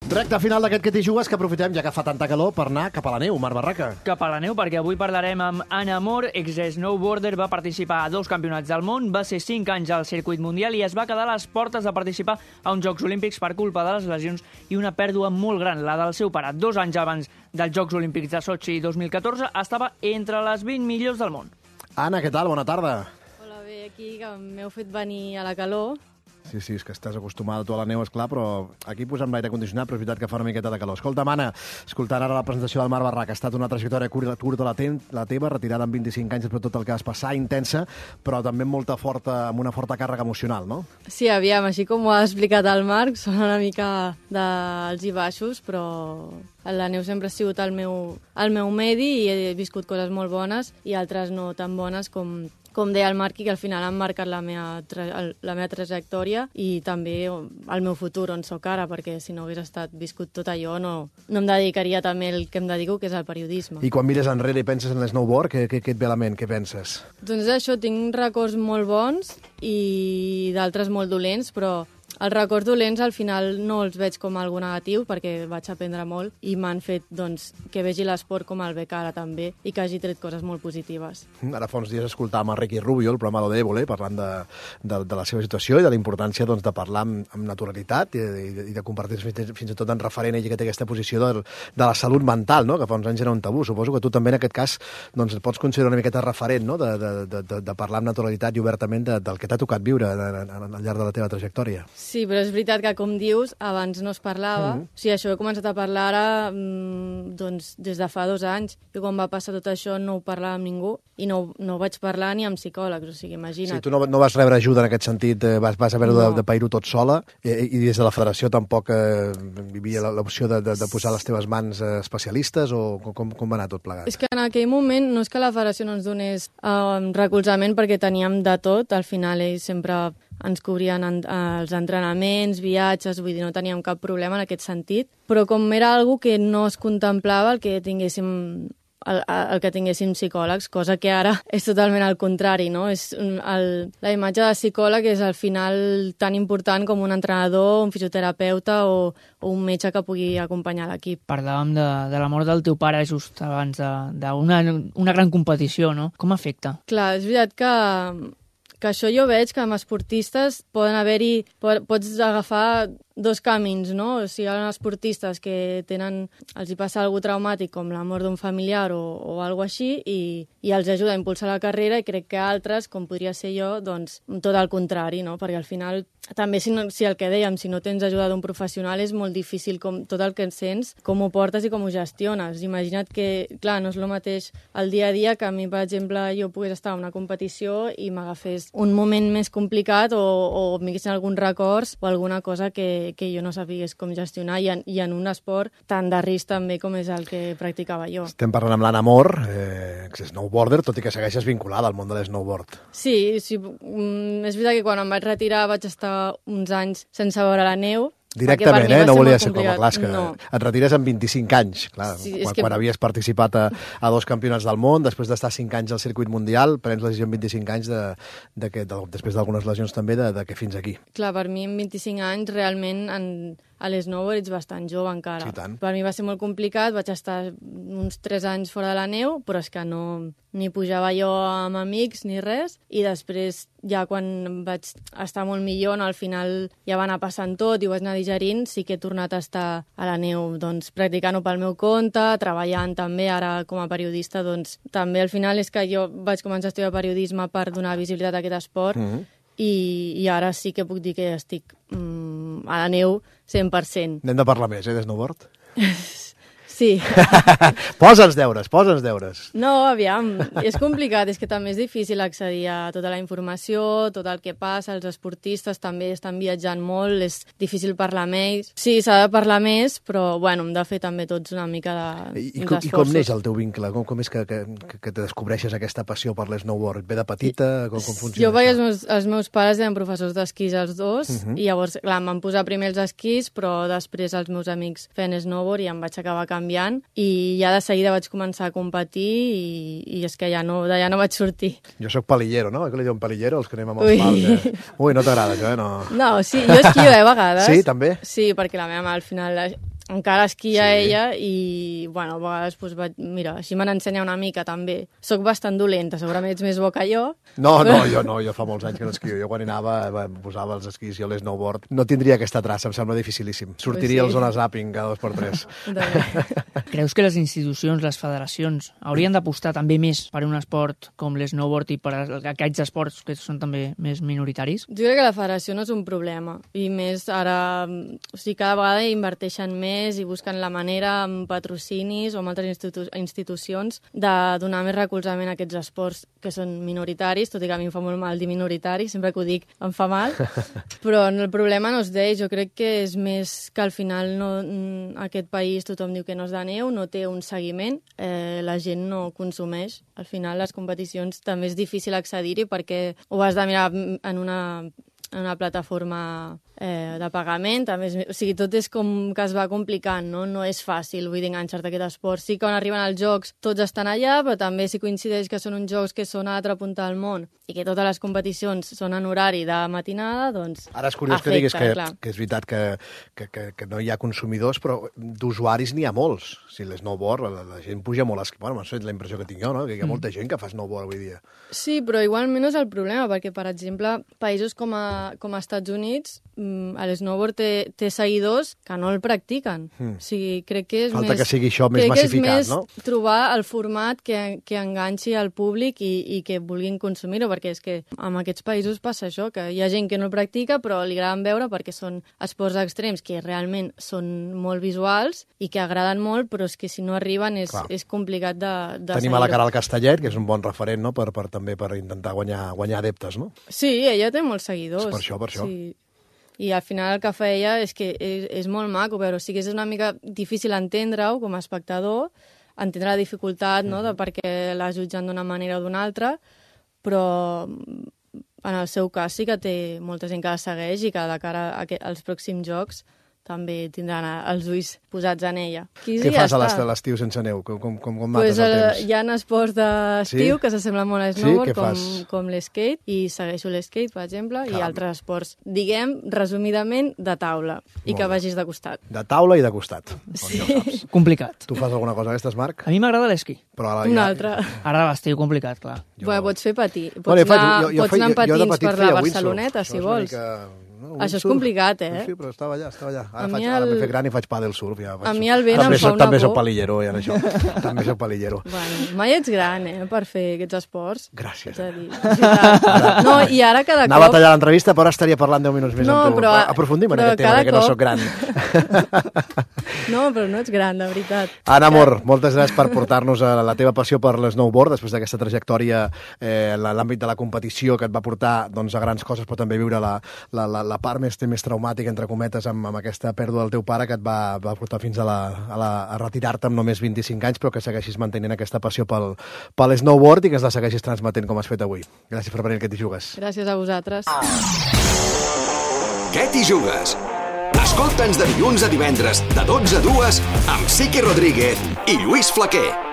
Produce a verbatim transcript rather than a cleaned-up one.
Recte final d'aquest que t'hi jugues, que aprofitem ja que fa tanta calor per anar cap a la neu, Marc Barraca. Cap a la neu, perquè avui parlarem amb Anna Mor, ex-snowboarder, va participar a dos campionats del món, va ser cinc anys al circuit mundial i es va quedar a les portes de participar a uns Jocs Olímpics per culpa de les lesions i una pèrdua molt gran, la del seu pare. Dos anys abans dels Jocs Olímpics de Sochi dos mil catorze estava entre les vint millors del món. Anna, què tal? Bona tarda. Hola, bé, aquí que m'heu fet venir a la calor. Sí, sí, és que estàs acostumada tu a la neu, esclar, però aquí posem l'aire condicionat, però és veritat que fa una miqueta de calor. Escolta, Anna, escoltant ara la presentació del Marc Barraca, ha estat una trajectòria curta, curta la, te la teva, retirada amb vint-i-cinc anys després de tot el que vas passar, intensa, però també amb, molta forta, amb una forta càrrega emocional, no? Sí, aviam, així com ho ha explicat el Marc, són una mica d'alts i baixos, però la neu sempre ha sigut el meu, el meu medi i he viscut coses molt bones i altres no tan bones com... com deia el Marc, que al final han marcat la meva, la meva trajectòria i també el meu futur, on sóc ara, perquè si no hagués estat viscut tot allò, no, no em dedicaria també el que em dedico, que és el periodisme. I quan mires enrere i penses en l'snowboard, què, què, què et ve a la ment? Què penses? Doncs això, tinc records molt bons i d'altres molt dolents, però els records dolents al final no els veig com algo negatiu perquè vaig aprendre molt i m'han fet doncs, que vegi l'esport com el veig ara també i que hagi tret coses molt positives. Ara fa uns dies escoltàvem a Ricky Rubio, el programa Lo Débole, parlant de, de, de la seva situació i de la importància doncs, de parlar amb, amb naturalitat i, i, i de compartir fins, fins i tot en referent ell que té aquesta posició de, de la salut mental, no? Que fa uns anys era un tabú. Suposo que tu també en aquest cas doncs, pots considerar una miqueta referent, no? de, de, de, de, de parlar amb naturalitat i obertament de, del que t'ha tocat viure al llarg de la teva trajectòria. Sí, però és veritat que, com dius, abans no es parlava. Mm-hmm. O sigui, això he començat a parlar ara mmm, doncs, des de fa dos anys. I quan va passar tot això no ho parlava amb ningú i no, no ho vaig parlar ni amb psicòlegs. O sigui, imagina't. Sí, tu no, no vas rebre ajuda en aquest sentit, vas, vas haver no. de, de pair-ho tot sola i, i des de la federació tampoc eh, hi havia l'opció de, de, de posar les teves mans eh, especialistes o com, com va anar tot plegat? És que en aquell moment no és que la federació no ens donés eh, recolzament perquè teníem de tot. Al final ells sempre ens cobrien en, els entrenaments, viatges, vull dir, no teníem cap problema en aquest sentit, però com era algo que no es contemplava el que tinguéssim el, el que tinguéssim psicòlegs, cosa que ara és totalment al contrari, no? És el, la imatge de psicòleg és al final tan important com un entrenador, un fisioterapeuta o, o un metge que pugui acompanyar l'equip. Parlàvem de, de la mort del teu pare just abans d'una una gran competició, no? Com afecta? Clar, és veritat que que això jo veig que amb esportistes poden haver-hi, pots agafar dos camins, no? O sigui, hi ha esportistes que tenen, els hi passa alguna traumàtic com la mort d'un familiar o, o alguna així i, i els ajuda a impulsar la carrera i crec que altres, com podria ser jo, doncs tot al contrari, no? Perquè al final també si, no, si el que dèiem, si no tens ajuda d'un professional és molt difícil com, tot el que en sents, com ho portes i com ho gestiones. Imagina't que, clar, no és el mateix el dia a dia que a mi, per exemple, jo pogués estar a una competició i m'agafés un moment més complicat o, o m'haguessin alguns records o alguna cosa que, que jo no sabigués com gestionar i en, i en un esport tan de risc també com és el que practicava jo. Estem parlant amb l'Anna Mor, eh, ex-snowboarder, tot i que segueixes vinculada al món de l'snowboard. Sí, sí, és veritat que quan em vaig retirar vaig estar uns anys sense veure la neu. Directament, eh? No volia ser com a clar, que no. Et retires amb vint-i-cinc anys, clar, sí, quan, que... quan havies participat a, a dos campionats del món, després d'estar cinc anys al circuit mundial, prens la decisió amb vint-i-cinc anys, de, de que, de, després d'algunes lesions també, de, de que fins aquí. Clar, per mi amb vint-i-cinc anys realment en, a l'snowboard ets bastant jove encara. Sí, tant. Per mi va ser molt complicat, vaig estar uns tres anys fora de la neu, però és que no, ni pujava jo amb amics ni res, i després ja quan vaig estar molt millor, no, al final ja va anar passant tot i ho vaig anar digerint, sí que he tornat a estar a la neu doncs, practicant-ho pel meu compte, treballant també, ara com a periodista, doncs també al final és que jo vaig començar a estudiar periodisme per donar visibilitat a aquest esport, mm-hmm. i, i ara sí que puc dir que estic mm, a la neu cent per cent. N'hem de parlar més, eh, de snowboard? Sí. Posa'ns deures, posa'ns deures. No, aviam, és complicat, és que també és difícil accedir a tota la informació, tot el que passa, els esportistes també estan viatjant molt, és difícil parlar amb ells. Sí, s'ha de parlar més, però bueno, hem de fer també tots una mica de, I, i, com, I com neix el teu vincle? Com, com és que, que, que te descobreixes aquesta passió per l'snowboard? Et ve de petita? Com, com funciona jo vaig, això? Els meus, els meus pares eren professors d'esquís els dos, uh-huh. i llavors, clar, em van posar primer els esquís, però després els meus amics feien snowboard i em vaig acabar canviant i ja de seguida vaig començar a competir i, i és que ja no, d'allà no vaig sortir. Jo sóc palillero, no? Que li diuen palillero, els que anem amb els pals. Eh? Ui, no t'agrada això, eh? No. No, sí, jo esquio, eh, a vegades. Sí, també? Sí, perquè la meva mare al final encara esquia Sí. ella i, bueno, a vegades, doncs, vaig, mira, així me n'ensenya una mica, també. Soc bastant dolenta, segurament ets més bo que jo. No, no, jo no, jo fa molts anys que no esquio. Jo quan hi anava em posava els esquís i jo l'snowboard. No tindria aquesta traça, em sembla dificilíssim. Sortiria Pues sí. al zona zapping cada dos per tres. Creus que les institucions, les federacions, haurien d'apostar també més per un esport com l'snowboard i per aquests esports que són també més minoritaris? Jo crec que la federació no és un problema, i més ara, o sigui, cada vegada inverteixen més i busquen la manera amb patrocinis o amb altres institu institucions de donar més recolzament a aquests esports que són minoritaris, tot i que a mi em fa molt mal dir minoritari, sempre que ho dic em fa mal, però el problema no és d'ells, jo crec que és més que al final no, aquest país tothom diu que no és de neu, no té un seguiment, eh, la gent no consumeix. Al final les competicions també és difícil accedir-hi perquè ho has de mirar en una, en una plataforma eh, de pagament, també és, o sigui, tot és com que es va complicant, no? No és fàcil, vull dir, enganxar-te a aquest esport. Sí que quan arriben els jocs tots estan allà, però també si coincideix que són uns jocs que són a l'altra punta del món i que totes les competicions són en horari de matinada, doncs Ara és curiós afecta, que diguis que, clar. que és veritat que, que, que, que no hi ha consumidors, però d'usuaris n'hi ha molts. Si l'snowboard, la, la gent puja molt... Bueno, m'ha fet la impressió que tinc jo, no? Que hi ha molta gent que fa snowboard avui dia. Sí, però igualment no és el problema, perquè, per exemple, països com a, com a Estats Units, l'snowboard té, té seguidors que no el practiquen. Mm. O sigui, crec que és Falta més... que sigui això més crec massificat, que és més no? trobar el format que, que enganxi al públic i, i que vulguin consumir-ho, perquè és que en aquests països passa això, que hi ha gent que no el practica, però li agraden veure perquè són esports extrems que realment són molt visuals i que agraden molt, però és que si no arriben és, és complicat de, de Tenim a la Caral Castellet, que és un bon referent, no?, per, per, també per intentar guanyar, guanyar adeptes, no? Sí, ella té molts seguidors. És per això, per això. Sí. I al final el que feia és que és, és molt maco, però sí que és una mica difícil entendre-ho com a espectador, entendre la dificultat, no?, de per què la jutgen d'una manera o d'una altra, però en el seu cas sí que té molta gent que la segueix i que de cara a que, als pròxims jocs també tindran els ulls posats en ella. Qui Què ja fas a està. l'estiu sense neu? Com, com, com, com Pues, mates el temps? Hi ha esports d'estiu Sí? que s'assemblen molt a Sí? snowboard, Què com, fas? com l'esquate, i segueixo l'esquate, per exemple, Caram. i altres esports, diguem, resumidament, de taula, i Molt que bé. vagis de costat. De taula i de costat. Sí. Ja ho saps. Complicat. Tu fas alguna cosa d'aquestes, Marc? A mi m'agrada l'esquí. Però ara Una ja- altra. Ara a l'estiu complicat, clar. Jo- Bueno, pots fer patir. Pots, Bueno, jo faig- anar, jo- jo pots faig- anar amb jo de patins petit per feia la windsurf. Barceloneta, Això si és una vols. mica- no, Això és windsurf. complicat, eh? Sí, però estava allà, estava allà. Ara, A faig, mi ara el- m'he fet gran i faig pàdel surf. Ja faig A surf. mi el vent també em fa soc, una també soc por. palillero, ja, en això. També soc palillero. Bueno, mai ets gran, eh, per fer aquests esports. Gràcies. Haig de dir. De veritat. No, i ara cada Anava a cop... tallar l'entrevista, però ara estaria parlant deu minuts més No, amb tu. però- Aprofundim en però aquest tema, cada que no cop- sóc gran. No, però no ets gran, de veritat. Anna Mor, moltes gràcies per portar-nos a la teva passió per l'snowboard, després d'aquesta trajectòria eh, en l'àmbit de la competició que et va portar doncs, a grans coses, però també viure la, la, la, la part més, més traumàtica, entre cometes, amb, amb aquesta pèrdua del teu pare que et va, va portar fins a, la, a, la, a retirar-te amb només vint-i-cinc anys, però que segueixis mantenint aquesta passió pel, pel snowboard i que es la segueixis transmetent com has fet avui. Gràcies per venir, que t'hi jugues. Gràcies a vosaltres. Què t'hi jugues? Escolta'ns de dilluns a divendres, de dotze a dues, amb Sique Rodríguez i Lluís Flaquer.